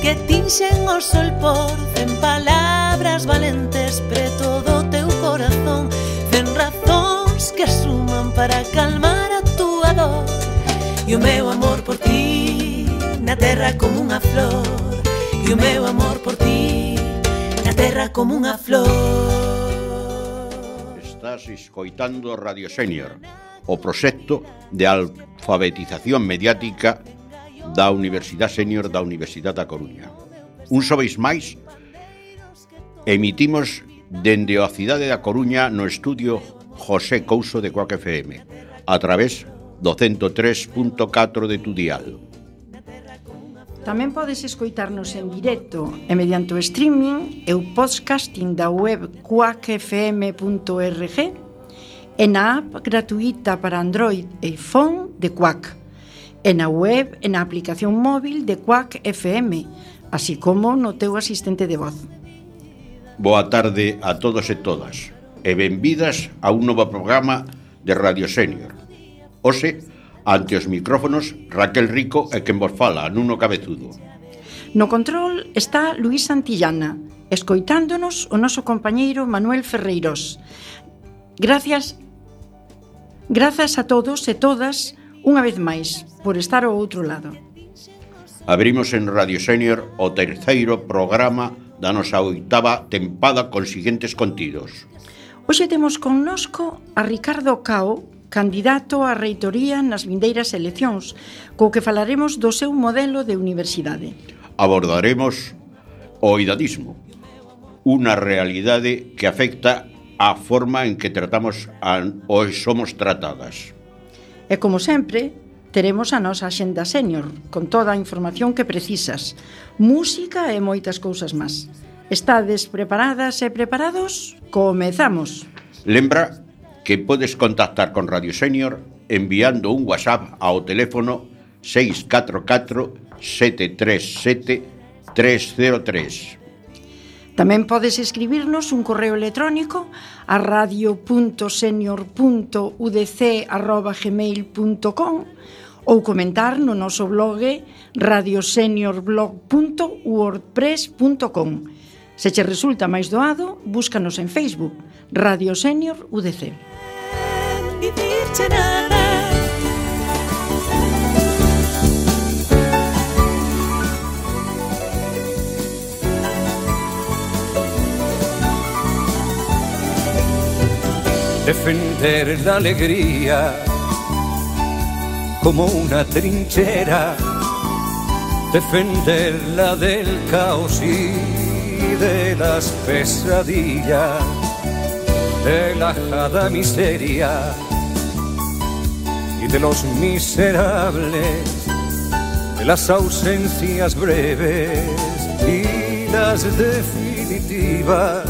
que tinxen o sol por 100 palabras valentes preto do teu corazón, 100 razóns que suman para calmar a túa dor. E o meu amor por ti na terra como unha flor, e o meu amor por ti na terra como unha flor. Estás escoitando Radio Senior, o proxecto de alfabetización mediática da Universidade Senior da Universidade da Coruña. Un xoves máis, emitimos dende a cidade da Coruña no estudio José Couso de Cuac FM, a través do 103.4 de tu dial. Tamén podes escoitarnos en directo e mediante o streaming e o podcasting da web quackfm.org e na app gratuita para Android e iPhone de Quack, e na web e na aplicación móvil de Quack FM, así como no teu asistente de voz. Boa tarde a todos e todas, e benvidas a un novo programa de Radio Senior. Hoxe, ante os micrófonos, Raquel Rico e quen vos fala, Nuno Cabezudo. No control está Luís Santillana, escoitándonos o noso compañeiro Manuel Ferreiros. Gracias a todos e todas, unha vez máis, por estar ao outro lado. Abrimos en Radio Senior o terceiro programa da nosa 8ª tempada con siguientes contidos. Hoxe temos connosco a Ricardo Cao, candidato á reitoría nas vindeiras eleccións, co que falaremos do seu modelo de universidade. Abordaremos o idadismo, unha realidade que afecta a forma en que tratamos ou somos tratadas. E como sempre, teremos a nosa Axenda Senior, con toda a información que precisas, música e moitas cousas máis. Estades preparadas e preparados? Comezamos! Lembra que podes contactar con Radio Senior enviando un WhatsApp ao teléfono 644 737 303. Tamén podes escribirnos un correo electrónico a radio.senior.udc@gmail.com ou comentar no noso blog radioseniorblog.wordpress.com. Se che resulta máis doado, búscanos en Facebook, Radio Senior UDC. Dicirche nada. Defender la alegría como una trinchera, defenderla del caos y de las pesadillas, de la ajada miseria y de los miserables, de las ausencias breves y las definitivas.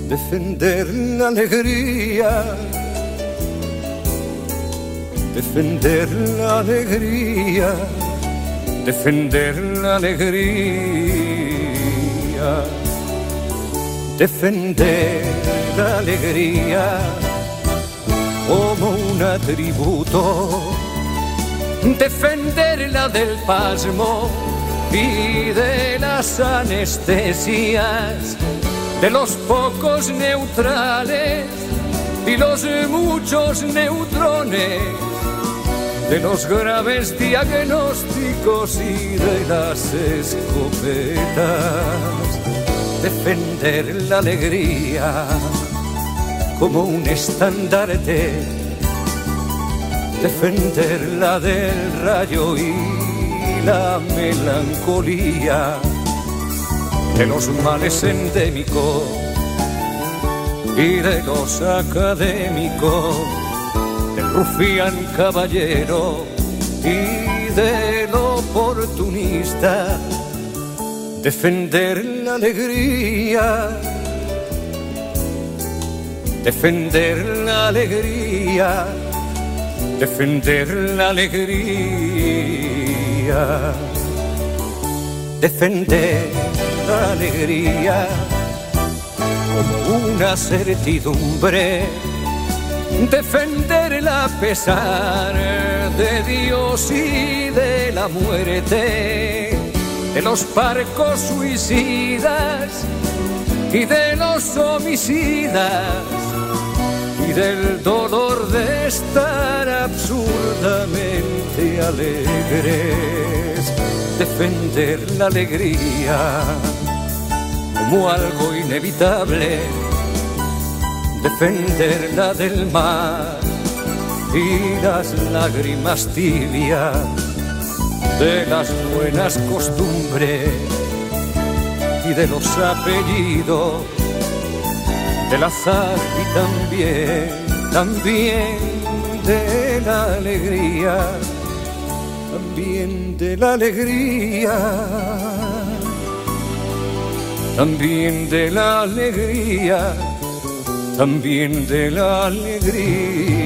Defender la alegría, defender la alegría, defender la alegría, defender la alegría como un atributo, defenderla del pasmo y de las anestesias, de los pocos neutrales y los muchos neutrones, de los graves diagnósticos y de las escopetas. Defender la alegría como un estandarte, defenderla del rayo y la melancolía, de los males endémicos y de los académicos, del rufián caballero y del oportunista. Defender la alegría, defender la alegría, defender la alegría, defender la alegría como una certidumbre, defenderla a pesar de Dios y de la muerte, de los parcos suicidas y de los homicidas y del dolor de estar absurdamente alegres. Defender la alegría como algo inevitable, defenderla del mar y las lágrimas tibias de las buenas costumbres y de los apellidos del azar y también de la alegría, también de la alegría, también de la alegría, también de la alegría.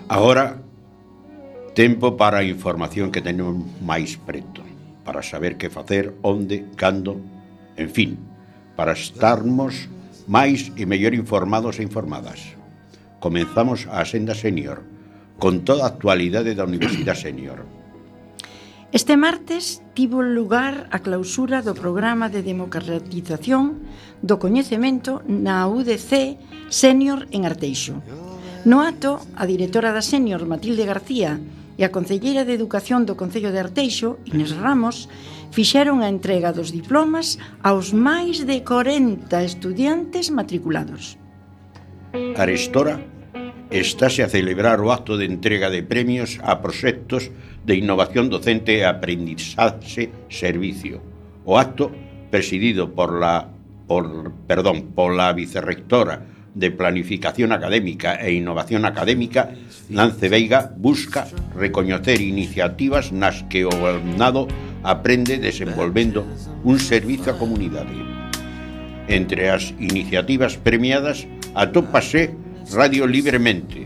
Agora, tempo para a información que tenemos máis preto, para saber que facer, onde, cando, en fin, para estarmos máis e mellor informados e informadas. Comenzamos a Senda Senior, con toda a actualidade da Universidade Senior. Este martes tivo lugar a clausura do programa de democratización do coñecemento na UDC Senior en Arteixo. No acto, a directora da Senior, Matilde García, e a concelleira de Educación do Concello de Arteixo, Inés Ramos, fixeron a entrega dos diplomas aos máis de 40 estudiantes matriculados. Arestora estáse a celebrar o acto de entrega de premios a proxectos de innovación docente e aprendizaxe servicio. O acto, presidido pola vicerrectora de Planificación Académica e Innovación Académica, Nance Veiga, busca recoñecer iniciativas nas que o alumnado aprende desenvolvendo un servizo á comunidade. Entre as iniciativas premiadas atópase Radio Libremente,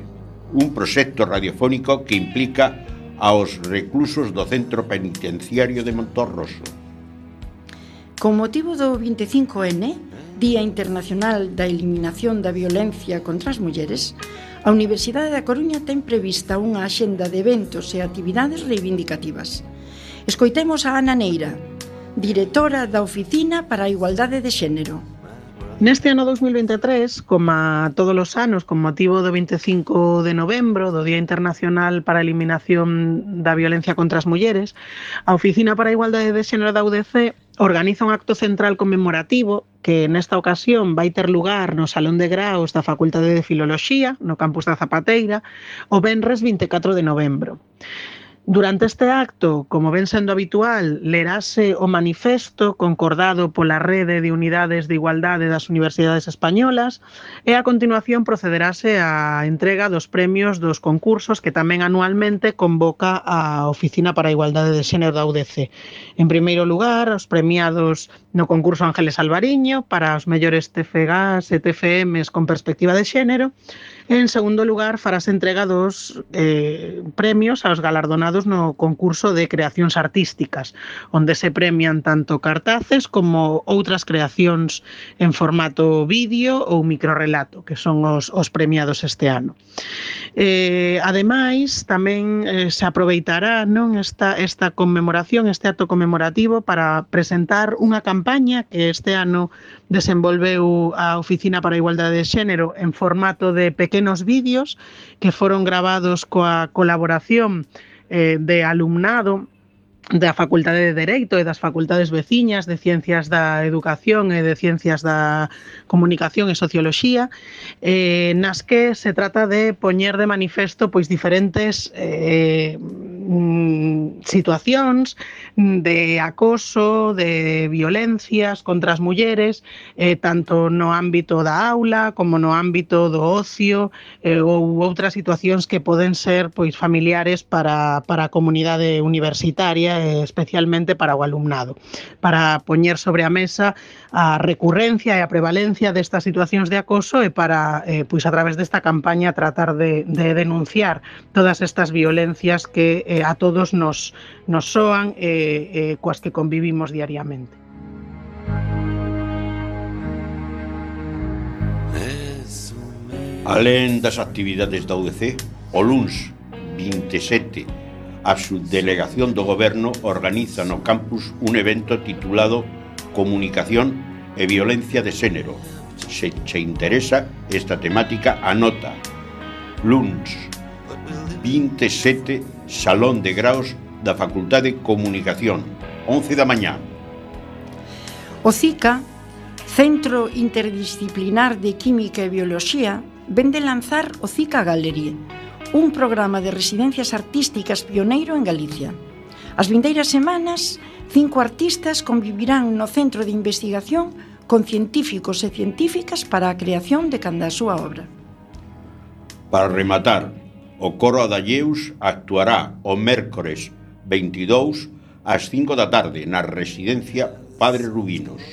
un proxecto radiofónico que implica aos reclusos do Centro Penitenciario de Montorroso. Con motivo do 25N, Día Internacional da Eliminación da Violencia contra as Mulleres, a Universidade da Coruña ten prevista unha axenda de eventos e actividades reivindicativas. Escoitemos a Ana Neira, directora da Oficina para a Igualdade de Xénero. Neste ano 2023, como todos os anos, con motivo do 25 de novembro, do Día Internacional para a Eliminación da Violencia contra as Mulleres, a Oficina para a Igualdade de Xénero da UDC organiza un acto central conmemorativo que nesta ocasión vai ter lugar no Salón de Graos da Facultade de Filoloxía, no campus da Zapateira, o venres 24 de novembro. Durante este acto, como ven sendo habitual, lerase o manifesto concordado pola Rede de Unidades de Igualdade das Universidades Españolas e a continuación procederase á entrega dos premios dos concursos que tamén anualmente convoca a Oficina para a Igualdade de Xénero da UDC. En primeiro lugar, os premiados no concurso Ángeles Alvariño para os mellores TFGs e TFMs con perspectiva de xénero. En segundo lugar, farase entrega dos premios aos galardonados no concurso de creacións artísticas, onde se premian tanto cartaces como outras creacións en formato vídeo ou microrelato, que son os premiados este ano. Ademais, tamén se aproveitará esta conmemoración, este acto conmemorativo, para presentar unha campaña que este ano desenvolveu a Oficina para a Igualdade de Xénero en formato de pequenos vídeos que foron gravados coa colaboración de alumnado da Facultade de Dereito e das facultades veciñas de Ciencias da Educación e de Ciencias da Comunicación e Socioloxía, nas que se trata de poñer de manifesto pois diferentes situacións de acoso, de violencias contra as mulleres, tanto no ámbito da aula como no ámbito do ocio, ou outras situacións que poden ser pois familiares para a comunidade universitaria, especialmente para o alumnado, para poñer sobre a mesa a recurrencia e a prevalencia destas situacións de acoso e para, pois a través desta campaña, tratar de denunciar todas estas violencias que a todos nos soan e coas que convivimos diariamente. Alén das actividades da UDC, o luns 27, a subdelegación do Goberno organiza no campus un evento titulado Comunicación e Violencia de Xénero. Se che interesa esta temática, anota. Luns 27, Salón de Graos da Facultade de Comunicación, 11 da mañá. O CICA, Centro Interdisciplinar de Química e Bioloxía, vende lanzar o CICA Gallery, un programa de residencias artísticas pioneiro en Galicia. As vindeiras semanas, 5 artistas convivirán no centro de investigación con científicos e científicas para a creación de canda a súa obra. Para rematar, o Coro Adalleus actuará o mércores 22 ás 5 da tarde na residencia Padre Rubinos.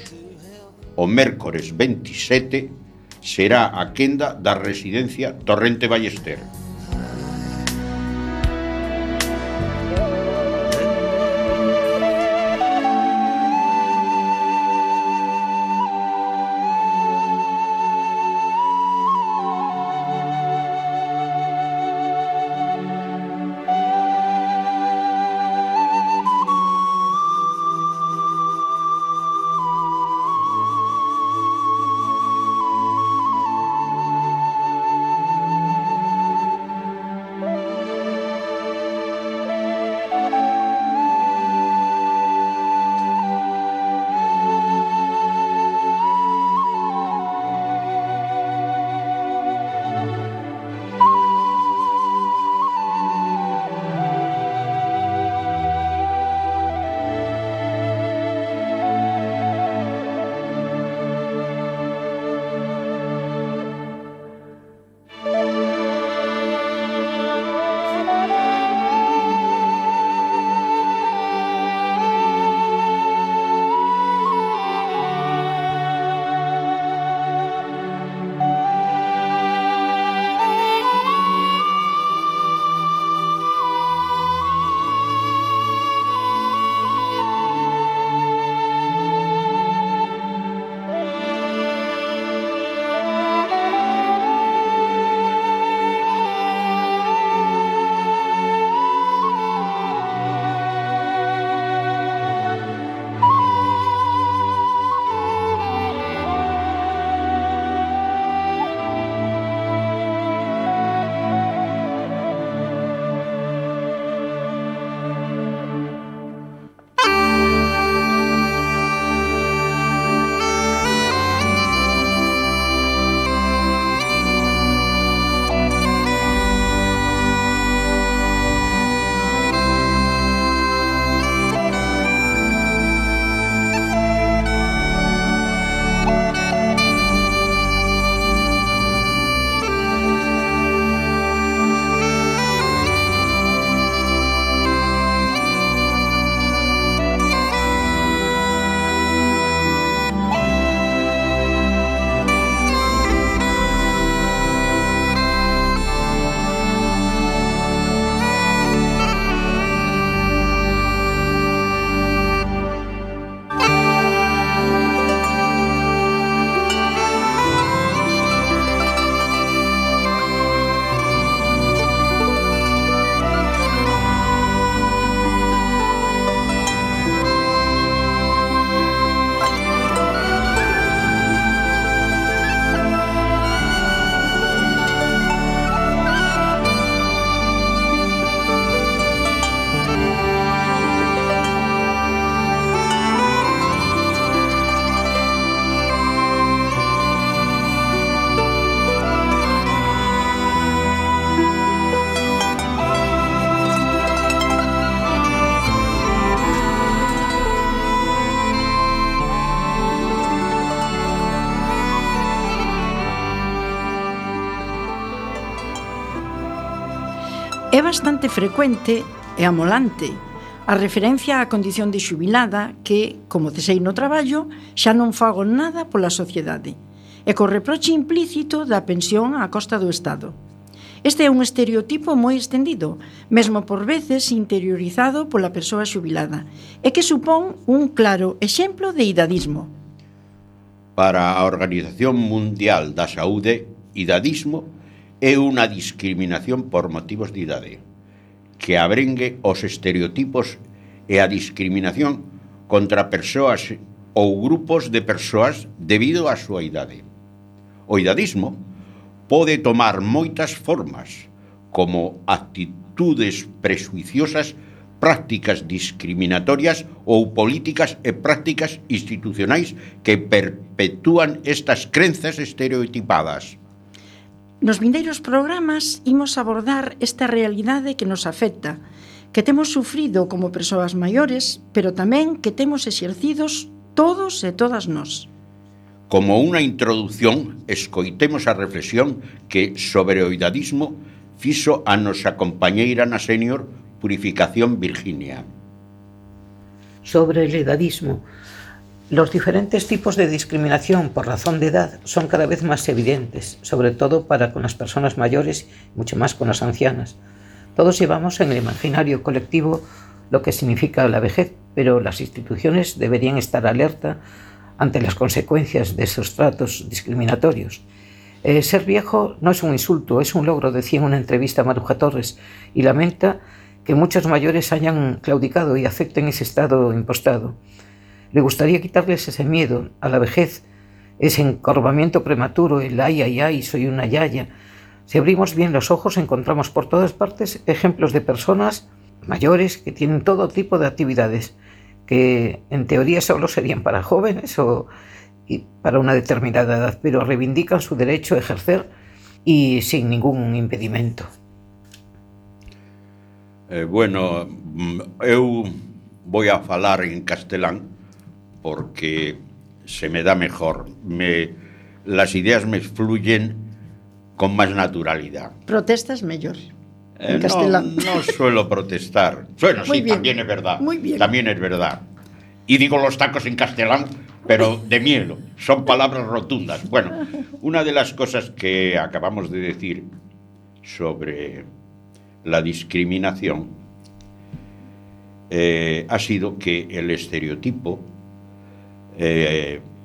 O mércores 27 será a quenda da residencia Torrente Ballester. É bastante frecuente e amolante a referencia á condición de xubilada que, como cesei no traballo, xa non fago nada pola sociedade, e co reproche implícito da pensión á costa do Estado. Este é un estereotipo moi extendido, mesmo por veces interiorizado pola persoa xubilada, e que supón un claro exemplo de idadismo. Para a Organización Mundial da Saúde, idadismo é unha discriminación por motivos de idade, que abrengue os estereotipos e a discriminación contra persoas ou grupos de persoas debido á súa idade. O idadismo pode tomar moitas formas, como actitudes presuiciosas, prácticas discriminatorias ou políticas e prácticas institucionais que perpetúan estas crenzas estereotipadas. Nos vindeiros programas imos abordar esta realidade que nos afecta, que temos sufrido como persoas maiores, pero tamén que temos exercidos todos e todas nós. Como unha introducción, escoitemos a reflexión que sobre o idadismo fixo a nosa compañeira na Senior Purificación Virginia. Sobre el edadismo, los diferentes tipos de discriminación por razón de edad son cada vez más evidentes, sobre todo para con las personas mayores y mucho más con las ancianas. Todos llevamos en el imaginario colectivo lo que significa la vejez, pero las instituciones deberían estar alerta ante las consecuencias de esos tratos discriminatorios. Ser viejo no es un insulto, es un logro, decía en una entrevista a Maruja Torres, y lamenta que muchos mayores hayan claudicado y acepten ese estado impostado. Le gustaría quitarles ese miedo a la vejez, ese encorvamiento prematuro, el ay, ay, ay, soy una yaya. Si abrimos bien los ojos encontramos por todas partes ejemplos de personas mayores que tienen todo tipo de actividades, que en teoría solo serían para jóvenes o para una determinada edad, pero reivindican su derecho a ejercer y sin ningún impedimento. Bueno, eu voy a falar en castelán porque se me da mejor. Las ideas me fluyen con más naturalidad. Protestas mellor en castelán. No suelo protestar. Bueno, Muy sí, bien. también es verdad. Muy bien. También es verdad. Y digo los tacos en castelán, pero de miedo. Son palabras rotundas. Bueno, una de las cosas que acabamos de decir sobre la discriminación ha sido que el estereotipo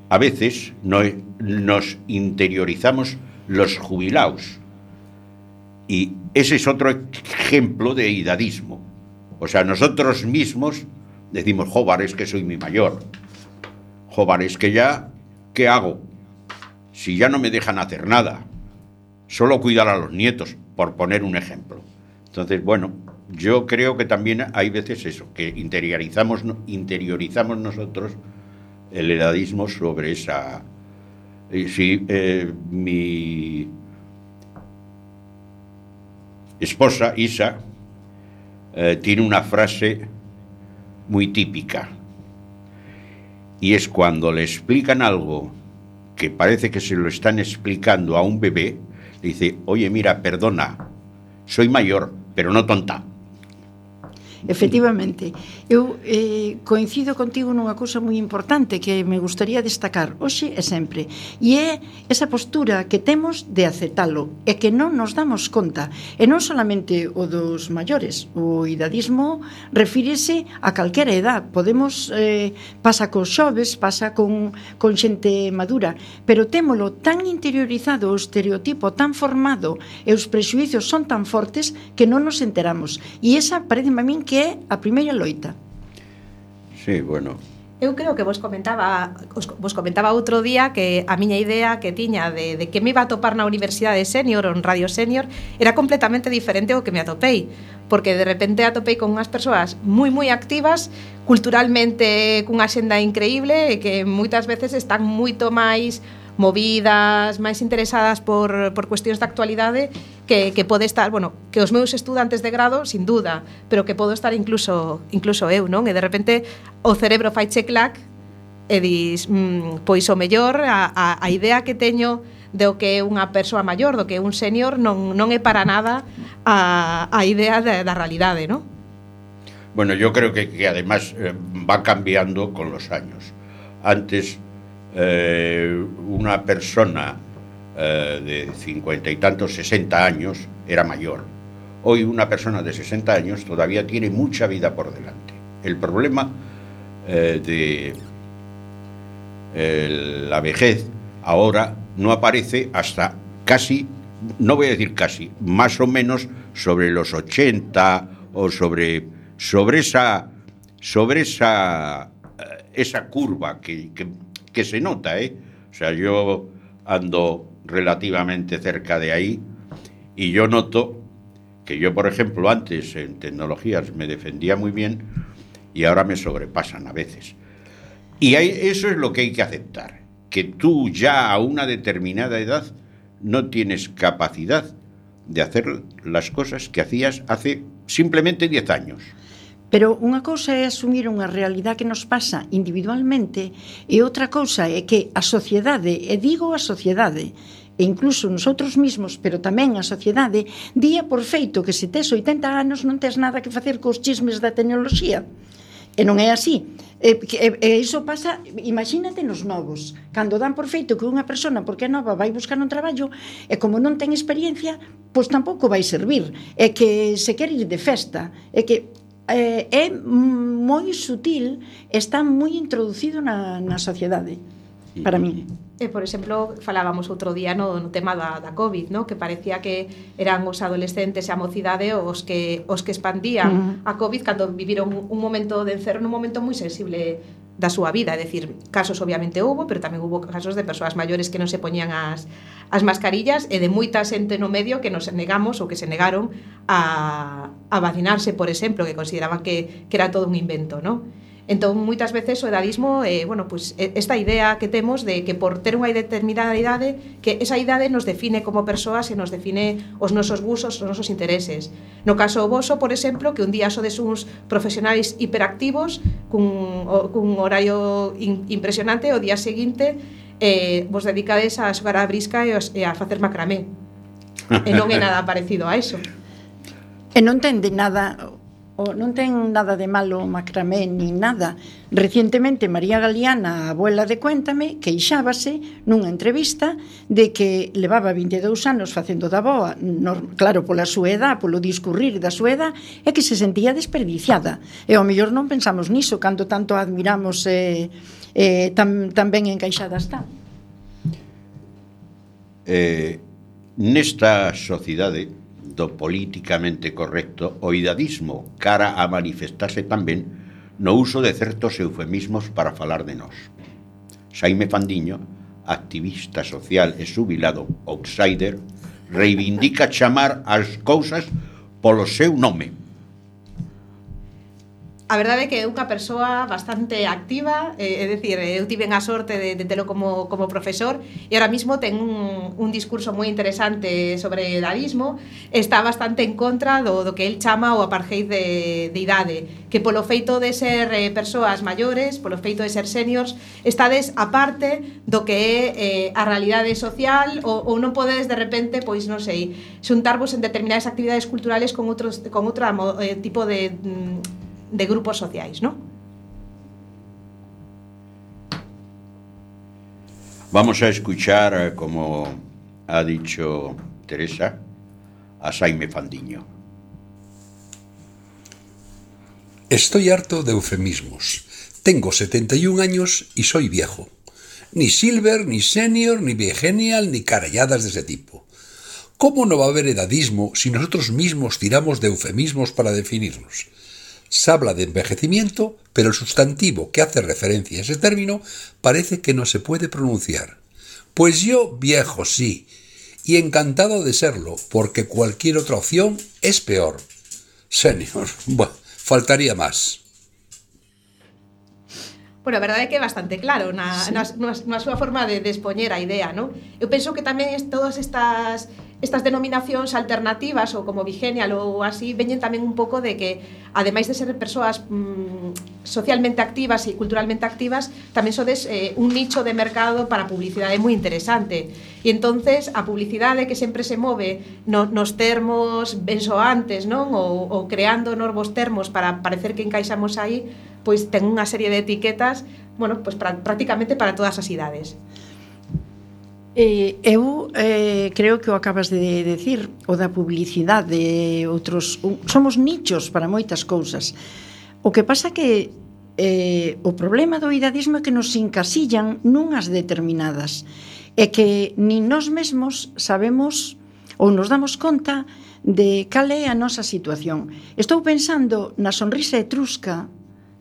a veces nos interiorizamos los jubilados, y ese es otro ejemplo de idadismo. O sea, nosotros mismos decimos, joder, es que soy mi mayor, joder, es que ya, ¿qué hago? Si ya no me dejan hacer nada, solo cuidar a los nietos, por poner un ejemplo. Entonces, bueno, yo creo que también hay veces eso, que interiorizamos nosotros el edadismo sobre esa... mi esposa, Isa, tiene una frase muy típica, y es cuando le explican algo que parece que se lo están explicando a un bebé, le dice, oye, mira, perdona, soy mayor, pero no tonta. Efectivamente, eu coincido contigo nunha cousa moi importante que me gustaría destacar hoxe e sempre, e é esa postura que temos de aceptalo e que non nos damos conta, e non solamente o dos maiores. O idadismo refírese a calquera edad, podemos pasa cos xoves, pasa con xente madura, pero témolo tan interiorizado, o estereotipo tan formado e os prexuizos son tan fortes que non nos enteramos, e esa parece a min que é a primeira loita. Sí, bueno. Eu creo que vos comentaba outro día que a miña idea que tiña de que me iba a topar na Universidade Senior ou en Radio Senior era completamente diferente ao que me atopei, porque de repente atopei con unhas persoas moi activas, culturalmente cunha xenda increíble e que moitas veces están moito máis movidas, máis interesadas por cuestións de actualidade que pode estar, bueno, que os meus estudantes de grado, sin duda, pero que podo estar incluso eu, non? E de repente o cerebro faiche clac e dis, pois o mellor a idea que teño do que é unha persoa maior, do que é un senior, non é para nada a idea da realidade, non? Bueno, yo creo que además va cambiando con los años. Antes, una persona de 50 y tantos, 60 años, era mayor. Hoy una persona de 60 años todavía tiene mucha vida por delante. El problema de la vejez ahora no aparece hasta casi, no voy a decir casi, más o menos sobre los 80 o sobre esa curva que se nota, ¿eh? O sea, yo ando relativamente cerca de ahí y yo noto que yo, por ejemplo, antes en tecnologías me defendía muy bien y ahora me sobrepasan a veces. Y eso es lo que hay que aceptar, que tú ya a una determinada edad no tienes capacidad de hacer las cosas que hacías hace simplemente 10 años. Pero unha cousa é asumir unha realidade que nos pasa individualmente e outra cousa é que a sociedade, e digo a sociedade, e incluso nosotros mismos, pero tamén a sociedade, día por feito que se tes 80 anos non tes nada que facer cos chismes da tecnoloxía. E non é así. E iso pasa, imagínate nos novos, cando dan por feito que unha persona, porque é nova, vai buscar un traballo, e como non ten experiencia, pois tampouco vai servir. É que se quere ir de festa, é que é moi sutil, está moi introducido na sociedade, para min. Por exemplo, falábamos outro día no tema da COVID, no? Que parecía que eran os adolescentes e a mocidade os que expandían a COVID cando viviron un momento de encerro, un momento moi sensible da súa vida, é dicir, casos obviamente houbo, pero tamén houbo casos de persoas maiores que non se poñían as mascarillas e de moita xente no medio que nos negamos ou que se negaron a vacinarse, por exemplo, que consideraban que era todo un invento, non? Entón, moitas veces o edadismo, bueno, pues, esta idea que temos de que por ter unha determinada idade, que esa idade nos define como persoas e nos define os nosos gustos, os nosos intereses. No caso voso, por exemplo, que un día sodes uns profesionais hiperactivos cun horario impresionante, o día seguinte vos dedicades a xogar a brisca e a facer macramé. E non é nada parecido a eso. E non ten nada de malo o macramé ni nada. Recientemente María Galeana, a abuela de Cuéntame, queixábase nunha entrevista de que levaba 22 anos facendo da boa, claro, pola súa edad, polo discurrir da súa edad, e que se sentía desperdiciada. E ao mellor non pensamos niso cando tanto admiramos tan ben encaixada está. Nesta sociedade do políticamente correcto, o idadismo cara a manifestarse tamén no uso de certos eufemismos para falar de nós. Xaime Fandiño, activista social e xubilado outsider, reivindica chamar as cousas polo seu nome. A verdade é que é unha persoa bastante activa, é dicir, eu tive a sorte de telo como profesor e ahora mismo ten un discurso moi interesante sobre o edadismo, está bastante en contra do que el chama o apartheid de idade, que polo feito de ser persoas maiores, polo feito de ser seniors, estades aparte do que é a realidade social ou non podedes de repente, pois non sei, xuntarvos en determinadas actividades culturales con outro tipo de grupos sociais, ¿no? Vamos a escuchar, como ha dicho Teresa, a Xaime Fandiño. Estoy harto de eufemismos. Tengo 71 años y soy viejo. Ni silver, ni senior, ni vigenial, ni caralladas de ese tipo. ¿Cómo no va a haber edadismo si nosotros mismos tiramos de eufemismos para definirnos? Se habla de envejecimiento, pero el sustantivo que hace referencia a ese término parece que no se puede pronunciar. Pues yo, viejo, sí, y encantado de serlo, porque cualquier otra opción es peor. Senior, bueno, faltaría más. Bueno, a verdade é que é bastante claro na súa forma de expoñer a idea, non? Eu penso que tamén todas estas estas denominacións alternativas ou como Bigenial ou así veñen tamén un pouco de que ademais de ser persoas socialmente activas e culturalmente activas, tamén sodes un nicho de mercado para a publicidade moi interesante. E entonces a publicidade que sempre se move nos termos bensoantes, non? Ou creando novos termos para parecer que encaixamos aí, pois ten unha serie de etiquetas, bueno, pois prácticamente para todas as idades. Eu creo que o acabas de decir, o da publicidade, outros somos nichos para moitas cousas. O que pasa que o problema do idadismo é que nos encasillan nunhas determinadas, e que nin nós mesmos sabemos ou nos damos conta de cal é a nosa situación. Estou pensando na sonrisa etrusca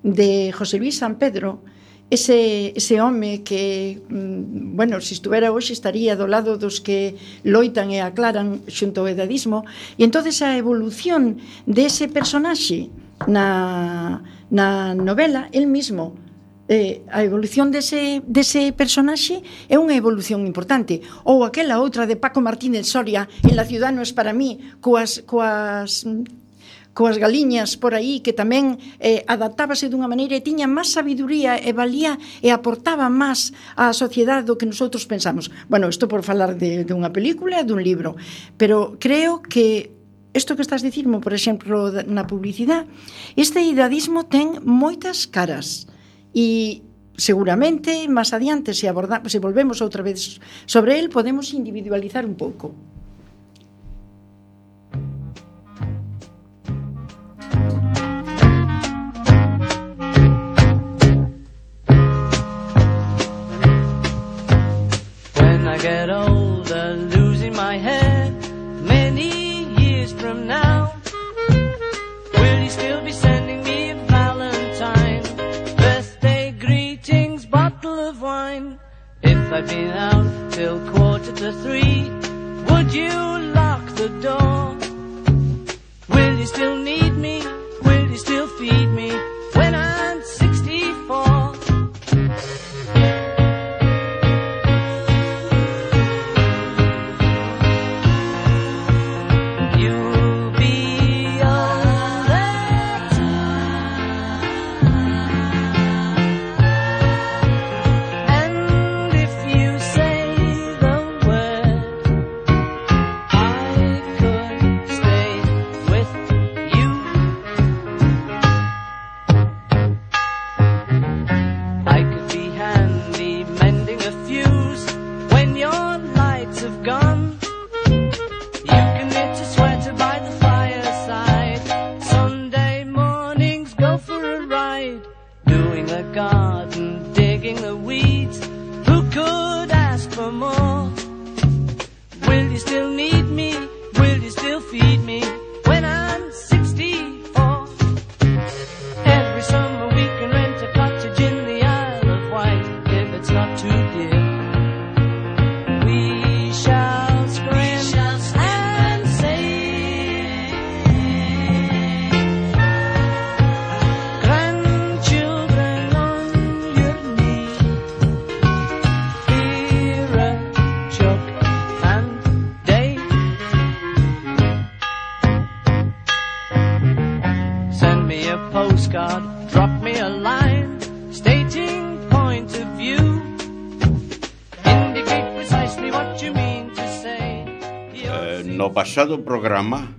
de José Luis San Pedro, ese home que, bueno, se estuvera hoxe estaría do lado dos que loitan e aclaran xunto ao edadismo, e entonces a evolución dese personaxe na novela, el mismo, a evolución dese personaxe é unha evolución importante. Ou aquela outra de Paco Martínez Soria en La ciudad no es para mí, coas galiñas por aí, que tamén adaptábase dunha maneira e tiña máis sabiduría e valía e aportaba máis á sociedade do que nosotros pensamos. Bueno, isto por falar de unha película e dun libro, pero creo que isto que estás dicirmo, por exemplo, na publicidade, este idadismo ten moitas caras e seguramente máis adiante, se volvemos outra vez sobre el, podemos individualizar un pouco. Get older, losing my head many years from now. Will you still be sending me a Valentine, birthday greetings, bottle of wine? If I'd been out till 2:45, would you lock the door? Will you still need me? Will you still feed me when I'm 64? No pasado programa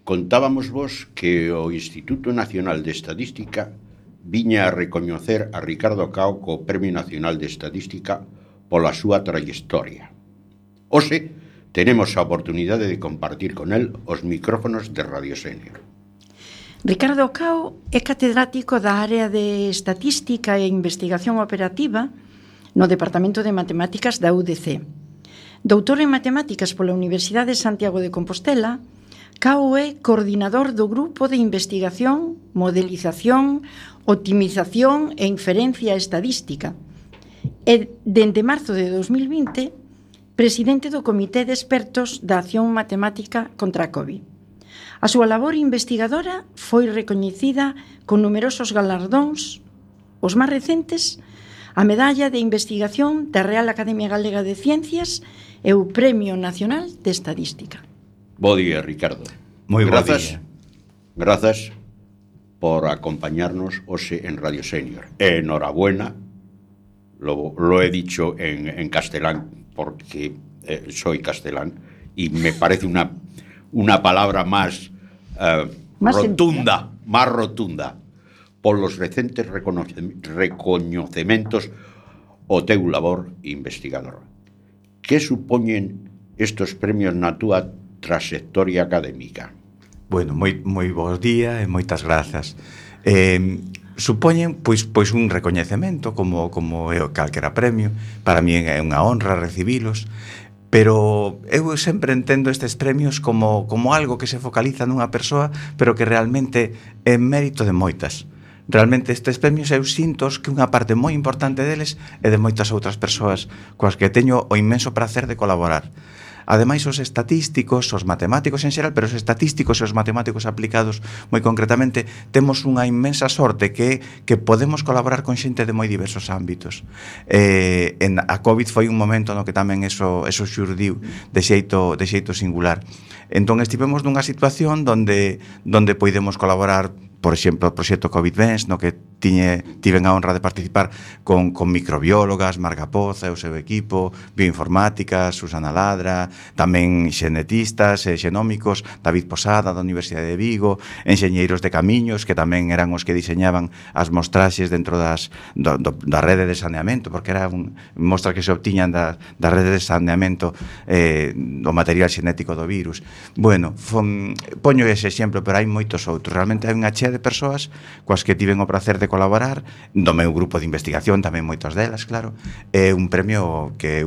contábamos vos que o Instituto Nacional de Estadística viña a recoñecer a Ricardo Cao co Premio Nacional de Estadística pola súa trayectoria. Hoxe tenemos a oportunidade de compartir con el os micrófonos de Radio Senior. Ricardo Cao é catedrático da área de Estatística e Investigación Operativa no Departamento de Matemáticas da UDC. Doutor en Matemáticas pola Universidade de Santiago de Compostela, Cao é coordinador do Grupo de Investigación, Modelización, Optimización e Inferencia Estadística e, dende marzo de 2020, presidente do Comité de Expertos da Acción Matemática contra a COVID. A súa labor investigadora foi recoñecida con numerosos galardóns, os máis recentes a Medalla de Investigación da Real Academia Galega de Ciencias e o Premio Nacional de Estadística. Bo día, Ricardo. Moi bo día. Grazas por acompañarnos hoxe en Radio Senior. Enhorabuena, lo he dicho en castelán porque soy castelán y me parece una palabra más rotunda por los recentes recoñecementos o teu labor investigador. Que supoñen estos premios na túa trayectoria académica? Bueno, moi bons días e moitas grazas. Supoñen pois un recoñecemento como é calquera premio. Para mí é unha honra recibilos, pero eu sempre entendo estes premios como algo que se focaliza nunha persoa, pero que realmente é mérito de moitas. Realmente estes premios eu sinto que unha parte moi importante deles é de moitas outras persoas coas que teño o inmenso prazer de colaborar. Ademais, os estatísticos, os matemáticos en xeral, pero os estatísticos e os matemáticos aplicados moi concretamente, temos unha inmensa sorte que podemos colaborar con xente de moi diversos ámbitos. A COVID foi un momento no que tamén eso xurdiu de xeito singular. Entón estivemos nunha situación donde poidemos colaborar, por exemplo, o proxecto COVID-20, no que tiven a honra de participar con microbiólogas, Marga Poza e o seu equipo, bioinformáticas, Susana Ladra, tamén xenetistas e xenómicos, David Posada da Universidade de Vigo, enxeñeiros de camiños, que tamén eran os que diseñaban as mostraxes dentro da rede de saneamento, porque eran mostras que se obtiñan da rede de saneamento do material xenético do virus. Bueno, poño ese exemplo, pero hai moitos outros. Realmente hai unha chea de persoas coas que tiven o prazer de colaborar, do meu grupo de investigación tamén moitas delas, claro. É un premio que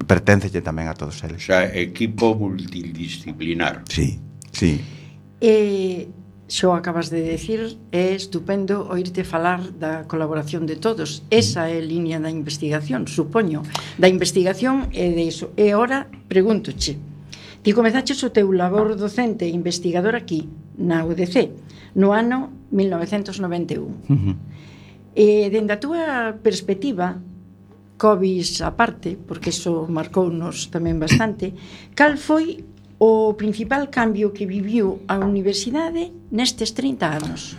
perténcelle tamén a todos eles. Xa, equipo multidisciplinar. Sí. Xo acabas de decir, é estupendo oírte falar da colaboración de todos. Esa é a liña da investigación, supoño. Da investigación e de iso. E ora, pregúntoche, ti comezaches o teu labor docente e investigador aquí, na UDC, no ano 1991. E dende a túa perspectiva, COVID aparte, porque iso marcounos tamén bastante, cal foi o principal cambio que viviu a universidade nestes 30 anos?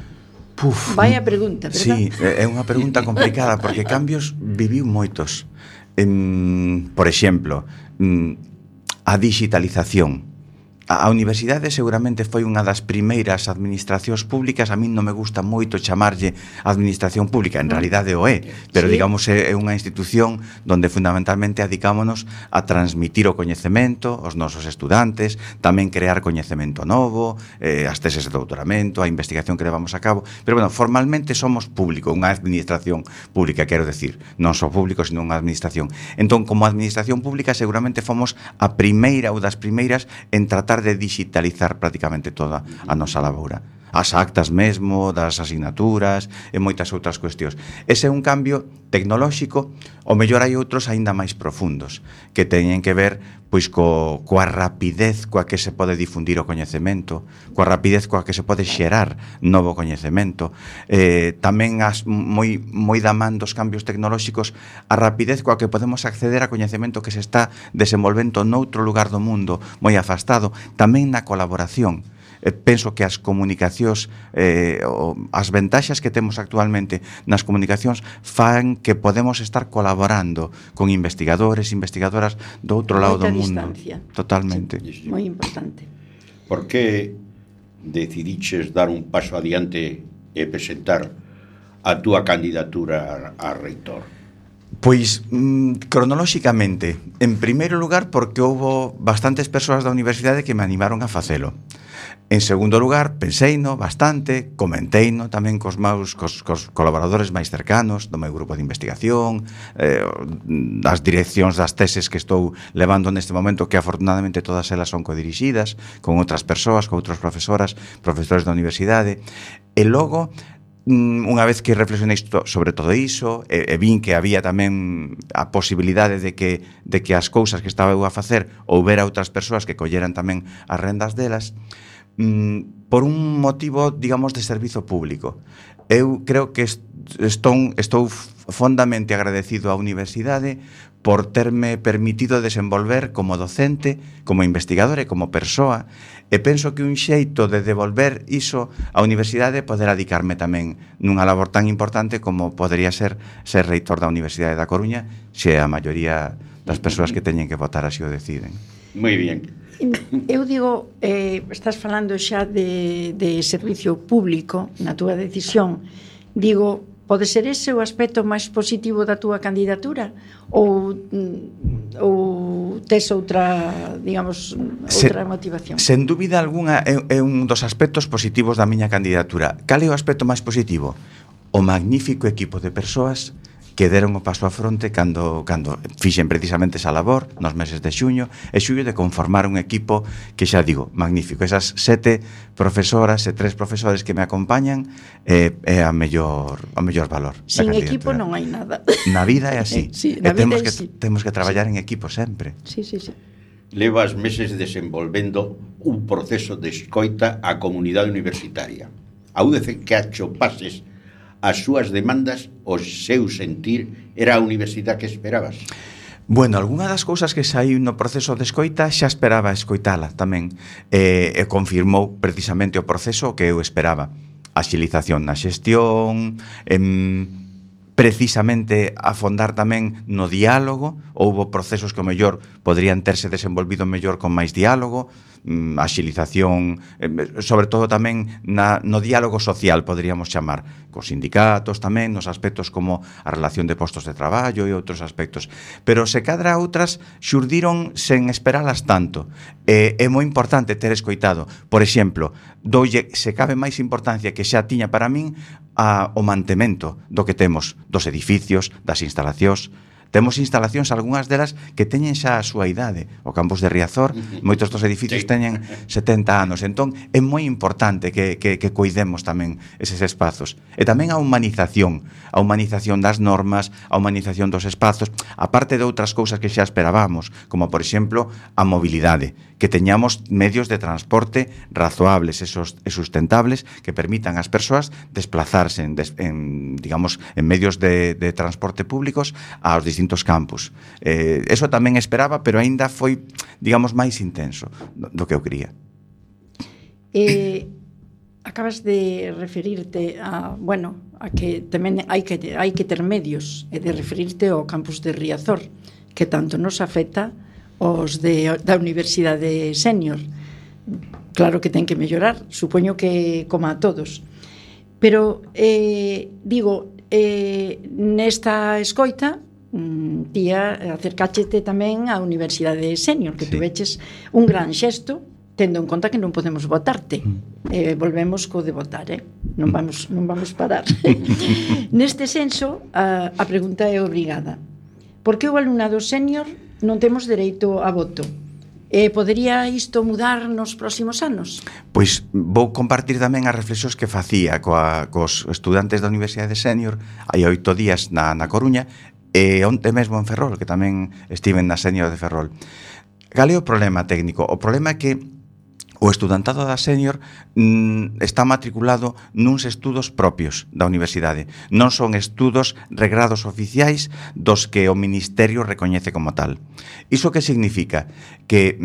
Vaya pregunta, verdad? Sí, é unha pregunta complicada, porque cambios viviu moitos. Por exemplo, a digitalización. A universidade seguramente foi unha das primeiras administracións públicas. A min non me gusta moito chamarlle administración pública, en realidade o é, pero digamos é unha institución donde fundamentalmente adicámonos a transmitir o coñecemento aos nosos estudantes, tamén crear coñecemento novo, as teses de doutoramento, a investigación que levamos a cabo, pero bueno, formalmente somos público, unha administración pública, quero decir, non só público, sino unha administración. Entón, como administración pública seguramente fomos a primeira ou das primeiras en tratar de digitalizar prácticamente toda a nosa laboura. As actas mesmo, das asignaturas e moitas outras cuestións. Ese é un cambio tecnolóxico, o mellor hai outros aínda máis profundos, que teñen que ver pois coa rapidez coa que se pode difundir o coñecemento, coa rapidez coa que se pode xerar novo coñecemento, tamén moi da man dos cambios tecnolóxicos, a rapidez coa que podemos acceder a coñecemento que se está desenvolvendo noutro lugar do mundo moi afastado, tamén na colaboración. Penso que as comunicacións, as ventaxas que temos actualmente nas comunicacións fan que podemos estar colaborando con investigadores, investigadoras do outro lado do mundo. Totalmente. Sí, moi importante. Por que decidiches dar un paso adiante e presentar a túa candidatura a reitor? Pois, cronolóxicamente, en primeiro lugar, porque houbo bastantes persoas da universidade que me animaron a facelo. En segundo lugar, penseino bastante, comenteino tamén cos colaboradores máis cercanos do meu grupo de investigación, das direccións das teses que estou levando neste momento, que afortunadamente todas elas son codirixidas, con outras persoas, con outros profesores da universidade. E logo, unha vez que reflexionei sobre todo iso, e vin que había tamén a posibilidade de que as cousas que estaba eu a facer houbera outras persoas que colleran tamén as rendas delas, por un motivo, digamos, de servizo público. Eu creo que estou fondamente agradecido á universidade por terme permitido desenvolver como docente, como investigador e como persoa, e penso que un xeito de devolver iso á universidade é poder adicarme tamén nunha labor tan importante como podría ser reitor da Universidade da Coruña, se a maioría das persoas que teñen que votar así o deciden. Moi bien. Eu digo, estás falando xa de servicio público na túa decisión. Digo, pode ser ese o aspecto máis positivo da túa candidatura? Ou tes outra, digamos, outra motivación? Sen dúbida algunha é un dos aspectos positivos da miña candidatura. Cal é o aspecto máis positivo? O magnífico equipo de persoas que deron o paso á fronte cando fixen precisamente esa labor nos meses de xuño e xullo de conformar un equipo que xa digo, magnífico. Esas 7 profesoras e 3 profesores que me acompañan é a mellor valor. Sin equipo non hai nada. Na vida é así. Sí, na vida é así. Temos que traballar en equipo sempre. Sí. Levas meses desenvolvendo un proceso de escoita á comunidade universitaria. A UDC que achopases as súas demandas, o seu sentir, era a universidade que esperabas? Bueno, algunha das cousas que saí no proceso de escoita xa esperaba escoitala tamén, e confirmou precisamente o proceso que eu esperaba. Axilización na xestión, precisamente afondar tamén no diálogo. Houbo procesos que o mellor poderían terse desenvolvido mellor con máis diálogo, axilización, sobre todo tamén no diálogo social, poderíamos chamar, cos sindicatos tamén, nos aspectos como a relación de postos de traballo e outros aspectos. Pero se cadra outras xurdiron sen esperalas tanto. É moi importante ter escoitado. Por exemplo, doulle, se cabe máis importancia que xa tiña para min o mantemento do que temos, dos edificios, das instalacións. Temos instalacións, algunhas delas, que teñen xa a súa idade. O campus de Riazor, moitos dos edificios teñen 70 anos. Entón, é moi importante que cuidemos tamén eses espazos. E tamén a humanización das normas, a humanización dos espazos, aparte de outras cousas que xa esperábamos, como, por exemplo, a mobilidade, que teñamos medios de transporte razoables e sustentables que permitan ás persoas desplazarse en medios de transporte públicos aos distintos campus. Eso tamén esperaba, pero aínda foi, digamos, máis intenso do que eu quería. Acabas de referirte a que tamén hai que ter medios, e de referirte ao campus de Riazor, que tanto nos afecta os da Universidade Sénior. Claro que ten que mellorar, supoño que como a todos. Pero, nesta escoita, tía, acercáchete tamén á Universidade Sénior, que tuveches un gran xesto, tendo en conta que non podemos votarte. Volvemos co de votar, non vamos parar. Neste senso, a pregunta é obrigada. Por que o alumnado sénior non temos dereito a voto? Podería isto mudar nos próximos anos? Pois vou compartir tamén as reflexións que facía cos estudantes da Universidade Sénior hai 8 días na Coruña e onte mesmo en Ferrol, que tamén estiven na Sénior de Ferrol. Cal é o problema técnico? O problema é que o estudantado da Sénior está matriculado nuns estudos propios da universidade. Non son estudos regrados oficiais dos que o Ministerio recoñece como tal. Iso que significa? Que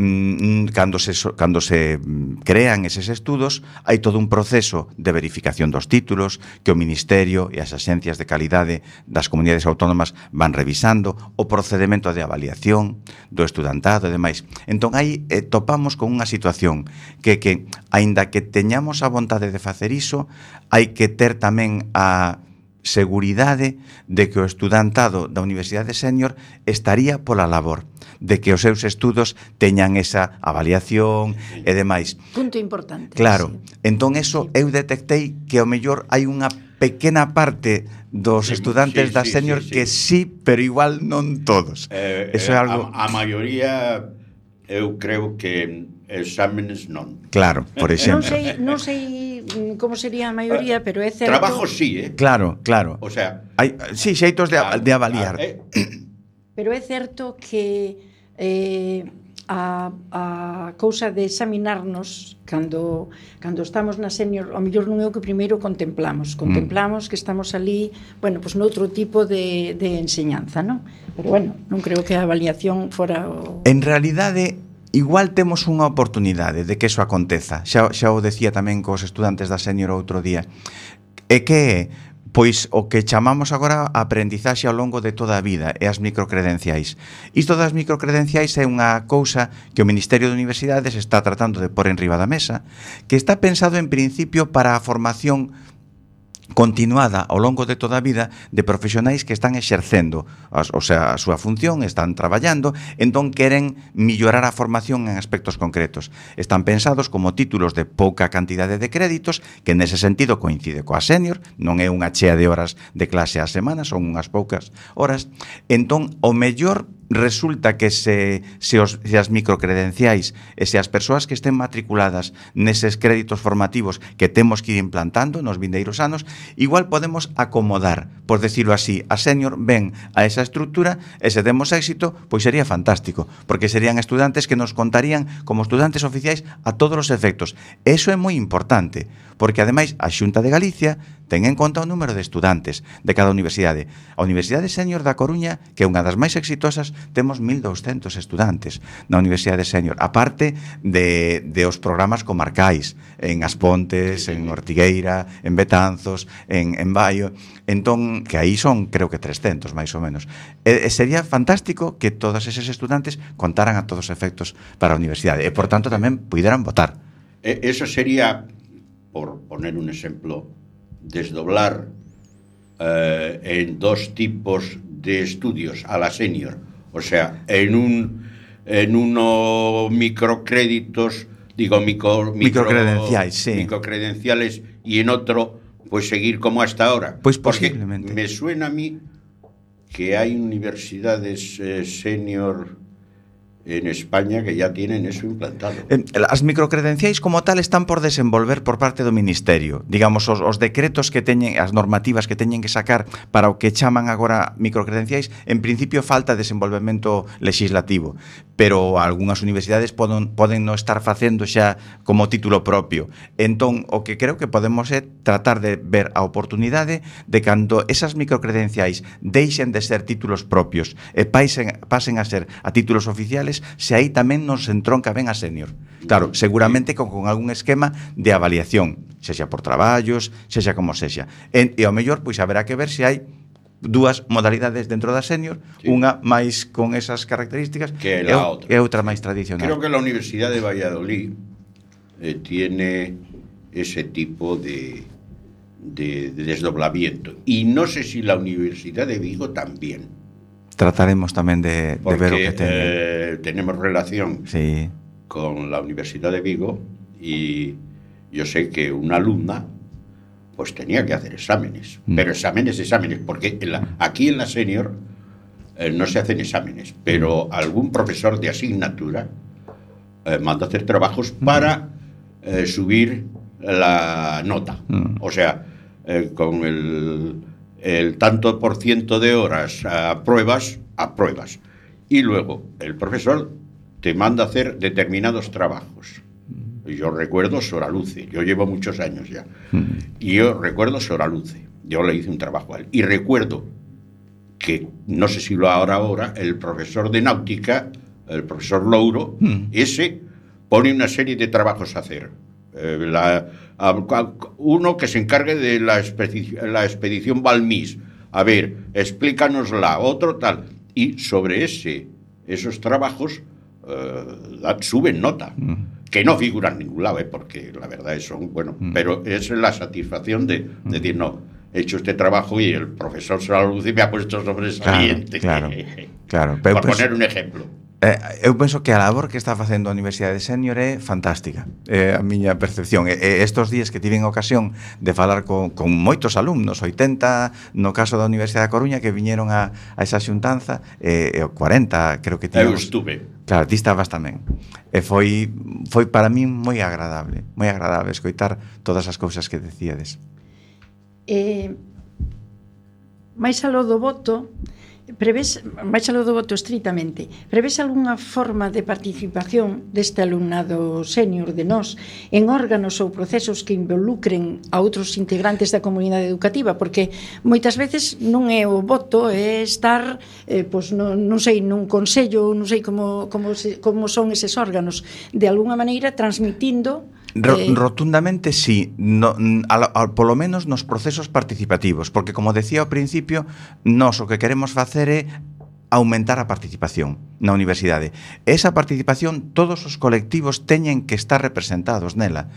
cando se crean eses estudos hai todo un proceso de verificación dos títulos que o Ministerio e as axencias de calidade das comunidades autónomas van revisando, o procedemento de avaliación do estudantado e demais. Entón aí topamos con unha situación que aínda que teñamos a vontade de facer iso, hai que ter tamén a seguridade de que o estudantado da Universidade Sénior estaría pola labor, de que os seus estudos teñan esa avaliación e demais. Punto importante. Claro, entón eso eu detectei que ao mellor hai unha pequena parte dos estudantes da Sénior que sí, pero igual non todos. Eso é algo... A maioría, eu creo que exámenes non. Claro, por exemplo. Non sei como sería a maioría, pero é certo... Trabajo sí, Claro. O sea... Hai, sí, xeitos de avaliar. Pero é certo que a cousa de examinarnos cando estamos na senior, ao mellor non é o que primeiro contemplamos que estamos ali, bueno, pois noutro tipo de enseñanza, non? Pero bueno, non creo que a avaliación fora o... En realidade, igual temos unha oportunidade de que eso aconteza. Xa o decía tamén cos estudantes da senior outro día. É que pois o que chamamos agora a aprendizaxe ao longo de toda a vida e as microcredenciais. Isto das microcredenciais é unha cousa que o Ministerio de Universidades está tratando de pôr en riba da mesa, que está pensado en principio para a formación continuada ao longo de toda a vida de profesionais que están exercendo a súa función, están traballando, entón queren millorar a formación en aspectos concretos. Están pensados como títulos de pouca cantidade de créditos, que nese sentido coincide coa senior, non é unha chea de horas de clase á semana, son unhas poucas horas. Entón, o mellor resulta que se as microcredenciais e se as persoas que estén matriculadas neses créditos formativos que temos que ir implantando nos vindeiros anos, igual podemos acomodar, por decirlo así, a senior ven a esa estrutura e se demos éxito, pois sería fantástico, porque serían estudantes que nos contarían como estudantes oficiais a todos os efectos. Eso é moi importante, porque ademais a Xunta de Galicia ten en conta o número de estudantes de cada universidade. A Universidade Senior da Coruña, que é unha das máis exitosas, temos 1.200 estudantes na Universidade Senior, aparte de os programas comarcais, en As Pontes, en Ortigueira, en Betanzos, en Baio, entón, que aí son, creo que 300, máis ou menos. Sería fantástico que todos eses estudantes contaran a todos os efectos para a universidade e, por tanto, tamén puderan votar. Eso sería, por poner un exemplo, desdoblar en dos tipos de estudios a la senior, o sea, en uno microcréditos, digo microcredenciales, sí. Microcredenciales, y en otro pues seguir como hasta ahora. Pues posiblemente. Porque me suena a mí que hay universidades senior en España que ya tienen eso implantado. As microcredenciais como tal están por desenvolver por parte do Ministerio. Digamos, os decretos que teñen, as normativas que teñen que sacar para o que chaman agora microcredenciais, en principio falta desenvolvemento legislativo, pero algunhas universidades poden non estar facendo xa como título propio. Entón, o que creo que podemos é tratar de ver a oportunidade de cando esas microcredenciais deixen de ser títulos propios e pasen a ser a títulos oficiales, se aí tamén nos entronca ben a senior. Claro, seguramente con algún esquema de avaliación, sexa por traballos, sexa como sexa. E ao mellor, pois haberá que ver se hai dúas modalidades dentro da senior, sí, unha máis con esas características que a outra. E outra máis tradicional. Creo que la Universidad de Valladolid tiene ese tipo de desdoblamiento. Y no sé si la Universidad de Vigo también. Trataremos tamén de ver o que tenemos relación, sí, con la Universidad de Vigo, y yo sé que una alumna pues tenía que hacer exámenes, pero exámenes, porque aquí en la senior no se hacen exámenes, pero algún profesor de asignatura manda a hacer trabajos para subir la nota, o sea, con el tanto por ciento de horas apruebas, y luego el profesor te manda a hacer determinados trabajos. Yo recuerdo Soraluce, yo llevo muchos años ya, y yo recuerdo Soraluce, yo le hice un trabajo a él, y recuerdo que, no sé si lo hará ahora, el profesor de náutica, el profesor Louro, ese pone una serie de trabajos a hacer. Uno que se encargue de la expedición Balmis, a ver, explícanosla, otro tal, y sobre esos trabajos suben nota, que no figuran en ningún lado, porque la verdad es pero es la satisfacción de decir, no, he hecho este trabajo y el profesor Soraluce me ha puesto sobresaliente. Claro. Por poner un ejemplo. Eu penso que a labor que está facendo a Universidade Senior é fantástica, a miña percepción. Estos días que tiven ocasión de falar con moitos alumnos, 80 no caso da Universidade da Coruña, que viñeron a esa xuntanza, 40 creo que tivemos. Eu estuve. Claro, ti estabas tamén. E foi para min moi agradable escoitar todas as cousas que decíades. Mais aló do voto, prevés, baixalo do voto estritamente, prevés algunha forma de participación deste alumnado sénior de nós en órganos ou procesos que involucren a outros integrantes da comunidade educativa? Porque moitas veces non é o voto, é estar, pois, non sei, nun consello, non sei como son eses órganos, de alguna maneira transmitindo. Rotundamente sí, polo menos nos procesos participativos, porque como decía ao principio, nós o que queremos facer é aumentar a participación na universidade. Esa participación, todos os colectivos teñen que estar representados nela.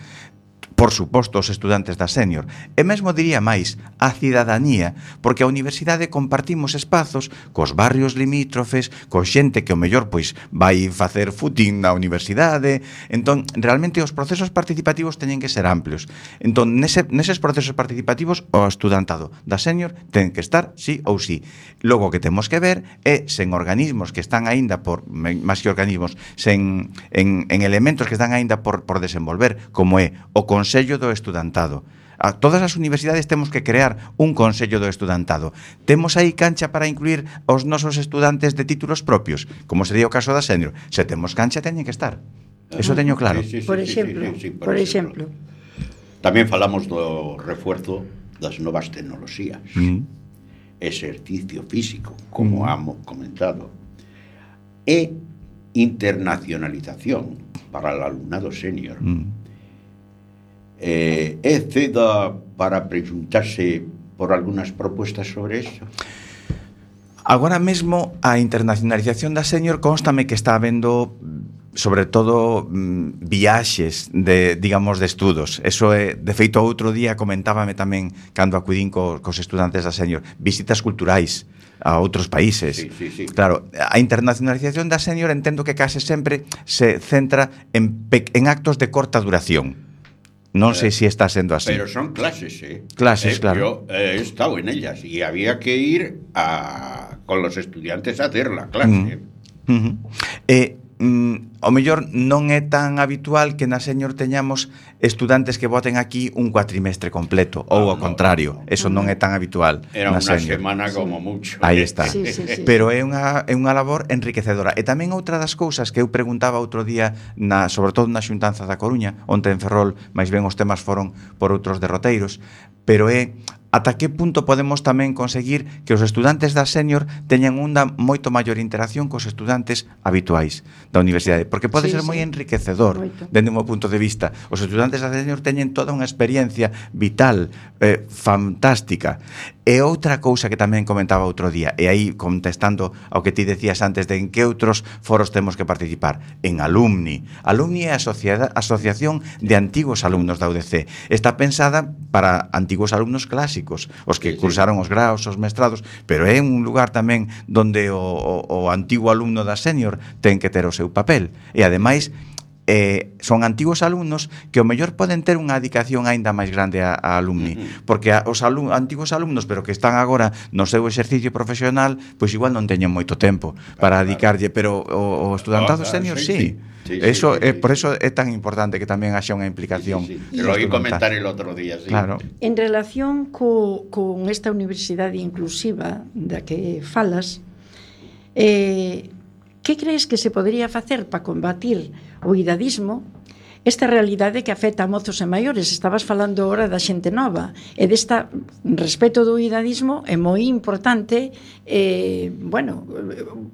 Por suposto, os estudantes da sénior. E mesmo diría máis, a cidadanía, porque a universidade compartimos espazos cos barrios limítrofes, co xente que o mellor pois vai facer footing na universidade. Entón, realmente os procesos participativos teñen que ser amplios. Entón, neses procesos participativos, o estudantado da sénior ten que estar sí ou sí. Logo, o que temos que ver é sen organismos que están aínda máis que organismos, en elementos que están aínda por desenvolver, como é o Consello do Estudantado. A todas as universidades temos que crear un Consello do Estudantado. Temos aí cancha para incluir os nosos estudantes de títulos propios, como sería o caso da sénior. Se temos cancha, teñen que estar. Eso teño claro. Por exemplo. Tamén falamos do refuerzo das novas tecnoloxías. Exercicio físico, como hemos comentado. E internacionalización para o alumnado sénior. É cedo para preguntarse por algunhas propuestas sobre eso? Agora mesmo a internacionalización da sénior constame que está habendo sobre todo viaxes de estudos. Eso é, de feito, outro día comentábame tamén cando acudín cos estudantes da sénior, visitas culturais a outros países. Sí. Claro, a internacionalización da sénior entendo que case sempre se centra en actos de corta duración. Non sei se está sendo así. Pero son clases, Clases, claro. Yo he estado en ellas y había que ir con los estudiantes a hacer la clase. O mellor non é tan habitual que na sénior teñamos estudantes que voten aquí un cuatrimestre completo, ou ao contrario, eso non é tan habitual. Era na unha sénior. semana como mucho. Aí está. Sí. Pero é unha labor enriquecedora. E tamén outra das cousas que eu preguntaba outro día, sobre todo na xuntanza da Coruña, onte en Ferrol, máis ben os temas foron por outros derroteiros, pero é ata que punto podemos tamén conseguir que os estudantes da sénior teñan unha moito maior interacción cos estudantes habituais da universidade, porque pode ser moi enriquecedor dende un punto de vista. Os estudantes da sénior teñen toda unha experiencia vital, fantástica. E outra cousa que tamén comentaba outro día, e aí contestando ao que ti decías antes de en que outros foros temos que participar, en Alumni. Alumni é a asociación de antigos alumnos da UDC. Está pensada para antigos alumnos clásicos, os que cursaron os graos, os mestrados, pero é un lugar tamén donde o antigo alumno da sénior ten que ter o seu papel. E ademais son antigos alumnos que o mellor poden ter unha dedicación aínda máis grande a Alumni, porque os antigos alumnos, pero que están agora no seu exercicio profesional, pois igual non teñen moito tempo para dedicarlle, pero o estudantado sénior sí. Por eso é tan importante que tamén haxa unha implicación. Lo oí comentar el otro día, sí. Claro. En relación con esta universidade inclusiva da que falas, que crees que se podría facer para combatir o idadismo, esta realidade que afecta a mozos e maiores? Estabas falando ahora da xente nova, e desta respeto do idadismo é moi importante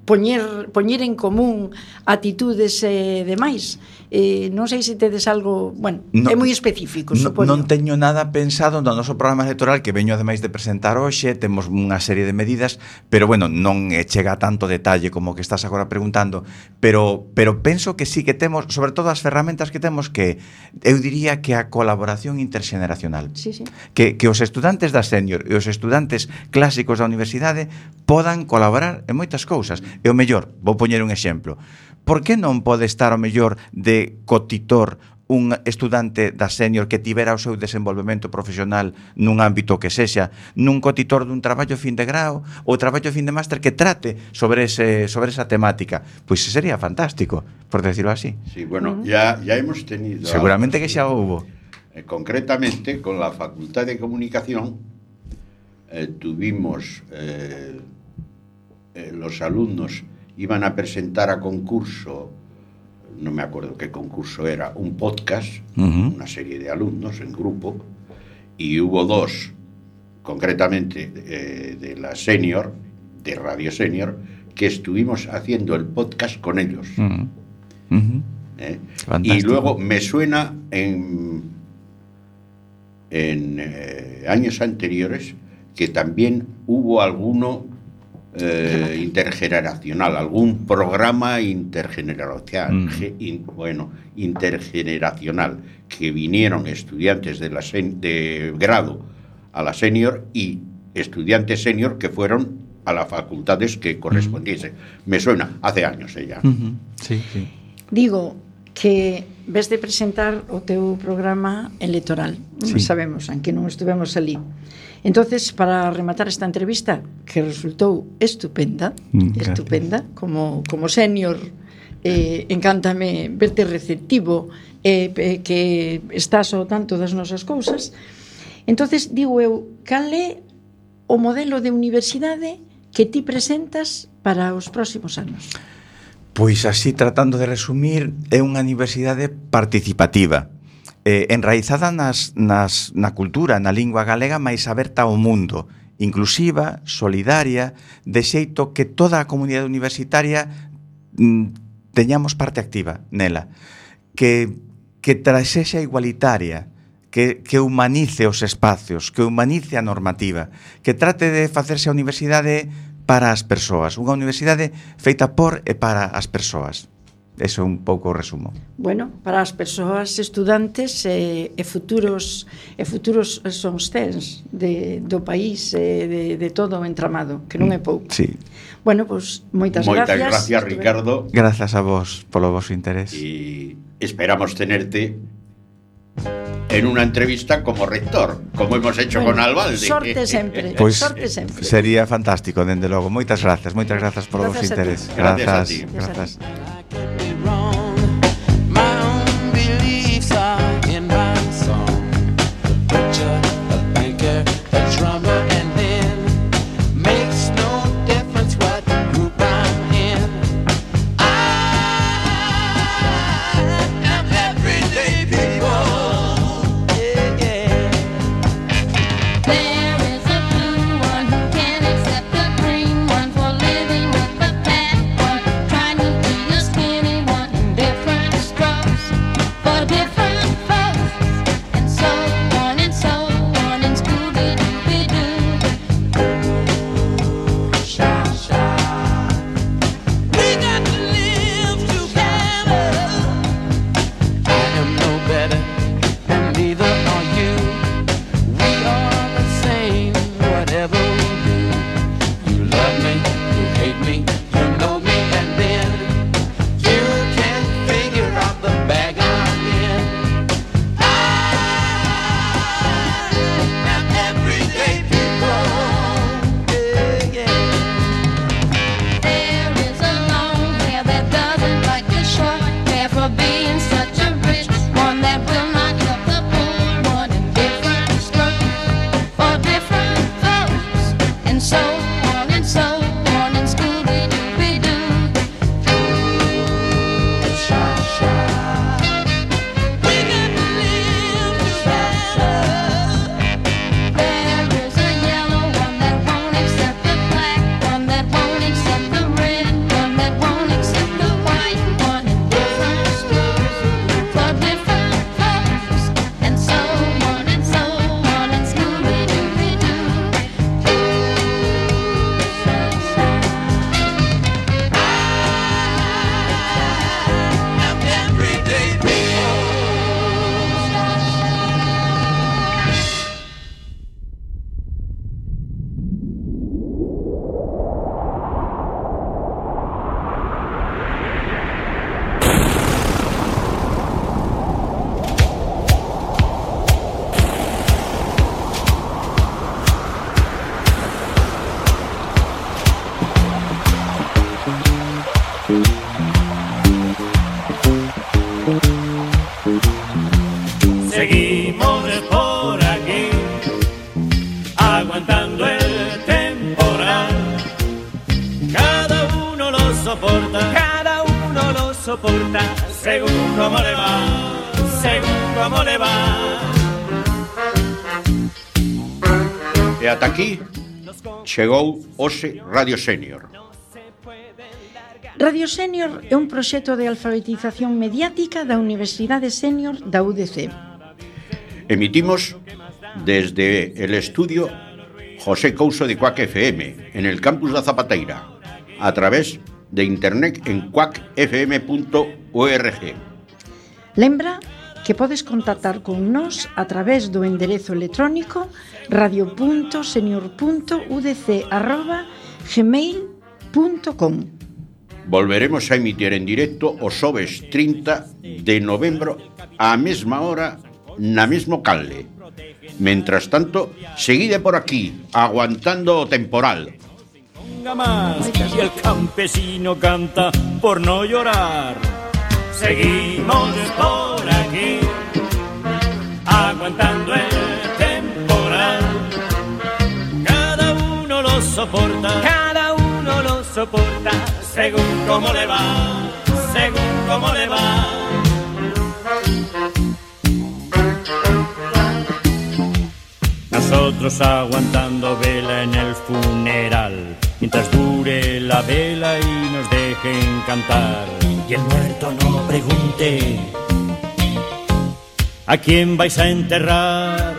poñer en común atitudes e demais. Non sei se tedes algo, é moi específico, supoño. Non teño nada pensado no noso programa electoral, que veño ademais de presentar hoxe, temos unha serie de medidas, pero non chega a tanto detalle como que estás agora preguntando, pero penso que sí que temos, sobre todo as ferramentas que temos, que eu diría que a colaboración interxeneracional. Sí. Que os estudantes da sénior e os estudantes clásicos da universidade podan colaborar en moitas cousas. E o mellor, vou poñer un exemplo. Por que non pode estar o mellor de cotitor un estudante da sénior que tivera o seu desenvolvemento profesional nun ámbito que sexa, nun cotitor dun traballo fin de grao ou traballo fin de máster que trate sobre esa temática? Pois sería fantástico, por decirlo así. Sí, ya hemos tenido... Seguramente que xa houbo. Concretamente, con la Facultad de Comunicación tuvimos los alumnos iban a presentar a concurso, no me acuerdo qué concurso era, un podcast, una serie de alumnos en grupo, y hubo dos, concretamente de la Senior, de Radio Senior, que estuvimos haciendo el podcast con ellos. Y luego me suena en años anteriores que también hubo alguno intergeneracional, algún programa intergeneracional, intergeneracional, que vinieron estudiantes de grado a la Senior y estudiantes senior que fueron a las facultades que correspondiesen. Me suena, hace años ella. Sí, sí. Digo que ves de presentar o teu programa electoral, sí. Sabemos, aunque non estivemos ali. Entonces, para rematar esta entrevista, que resultou estupenda, como senior, encántame verte receptivo, que estás ao tanto das nosas cousas. Entonces, digo eu, cal é o modelo de universidade que ti presentas para os próximos anos? Pois así, tratando de resumir, é unha universidade participativa, enraizada na cultura, na lingua galega, máis aberta ao mundo, inclusiva, solidaria, de xeito que toda a comunidade universitaria teñamos parte activa nela, que sexa igualitaria, que humanice os espacios, que humanice a normativa, que trate de facerse a universidade para as persoas, unha universidade feita por e para as persoas. Eso é un pouco o resumo. Bueno, para as persoas estudantes e futuros son os tens do país, de todo o entramado, que non é pouco. Sí. Bueno, pois moitas gracias. Moitas gracias, Ricardo. Grazas a vos polo vosso interés. Y esperamos tenerte en una entrevista como rector, como hemos hecho con Albalde. Sorte sempre, Pois sorte sempre. Sería fantástico, dende logo. Moitas grazas polo vosso interés. Gracias a ti. Grazas. soporta, cada uno lo soporta, según cómo le va, según cómo le va. E ata aquí chegou hoxe Radio Senior. Radio Senior é un proxecto de alfabetización mediática da Universidade Senior da UDC. Emitimos desde el estudio José Couso de Cuac FM, en el campus da Zapateira, a través de internet en cuacfm.org. Lembra que podes contactar con nós a través do enderezo electrónico radio.senior.udc@gmail.com. Volveremos a emitir en directo o xoves 30 de novembro á mesma hora na mesmo canle. Mentras tanto, seguide por aquí, aguantando o temporal. Más, y el campesino canta por no llorar. Seguimos por aquí, aguantando el temporal. Cada uno lo soporta, cada uno lo soporta, según cómo le va, según cómo le va. Nosotros aguantando vela en el funeral, mientras dure la vela y nos dejen cantar. Y el muerto no pregunte ¿a quién vais a enterrar?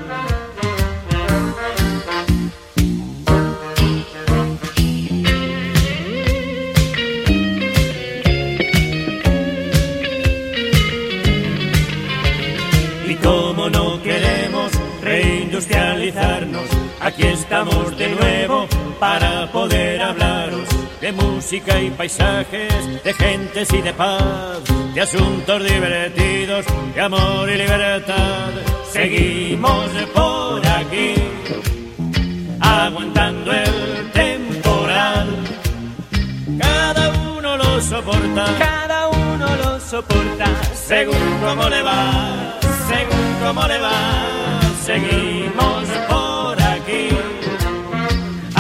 Y como no queremos reindustrializarnos, aquí estamos de nuevo para poder hablaros de música y paisajes, de gentes y de paz, de asuntos divertidos, de amor y libertad. Seguimos por aquí, aguantando el temporal. Cada uno lo soporta, cada uno lo soporta, según cómo le va, según cómo le va. Seguimos